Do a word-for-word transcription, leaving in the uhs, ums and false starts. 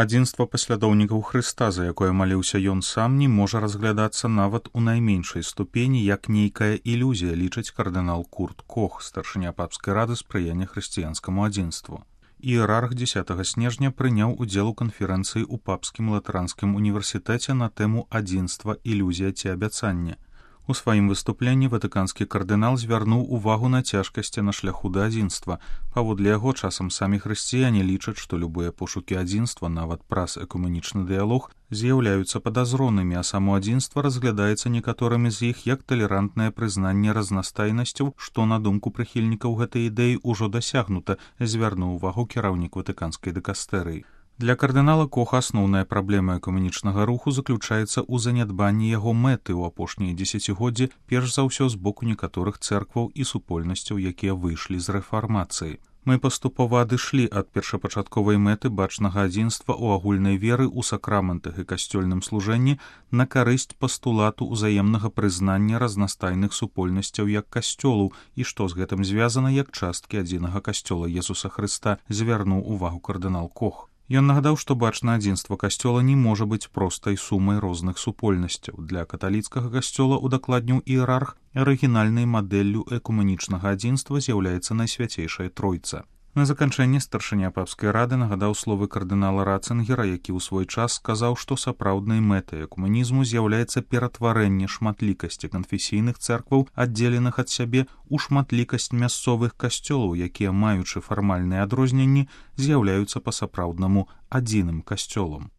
Адзінства паслядоўнікаў Хрыста, за якое маліўся ён сам, не можа разглядацца нават у найменшай ступені як нейкая ілюзія, лічыць кардынал Курт Кох, старшыня папскай рады спрыяння хрысціянскаму адзінству. Іерарх дзесятага снежня прыняў удзел у канферэнцыі ў папскім латаранскім універсітэце на тэму адзінства, ілюзія ці абяцанне. У сваім выступленні ватыканскі кардынал звярнуў увагу на цяжкасці на шляху да адзінства. Паводле яго, часам самі хрысціяне лічаць, што любыя пошукі адзінства, нават праз экуменічны дыялог, з'яўляюцца падазронымі, а само адзінства разглядаецца некаторымі з іх як талерантнае прызнанне разнастайнасцяў, што, на думку прыхільнікаў гэтай ідэі, ужо дасягнута, звярнуў увагу кіраўнік ватыканскай дыкастэрыі. Для кардынала Коха асноўная праблема экуменічнага руху заключаецца ў занядбанні яго мэты ў апошнія дзесяцігоддзі, перш за ўсё з боку некаторых цэркваў і супольнасцяў, якія выйшлі з рэфармацыі. Мы паступова адышлі ад першапачатковай мэты бачнага адзінства ў агульнай веры ў сакраментах і касцёльным служэнні на карысць пастулату ўзаемнага прызнання разнастайных супольнасцяў як касцёлу і што з гэтым звязана як часткі адзінага касцёла Jesуса Хрыста, звярнуў увагу кардынал Кох. Ён нагадаў, што бачнае адзінства касцёла не можа быць простай сумай розных супольнасцяў. Для каталіцкага касцёла, удакладніў іерарх, арыгінальнай мадэллю экуменічнага адзінства з'яўляецца Найсвяцейшая Тройца. На заканчэнне старшыня папскай рады нагадаў словы кардынала Рацынгера, які ў свой час сказаў, што сапраўднай мэтай экуменізму з'яўляецца ператварэнне шматлікасці канфесійных цэркваў, аддзеленых ад сябе, у шматлікасць мясцовых касцёлаў, якія, маючы фармальныя адрозненні, з'яўляюцца па-сапраўднаму адзіным касцёлам.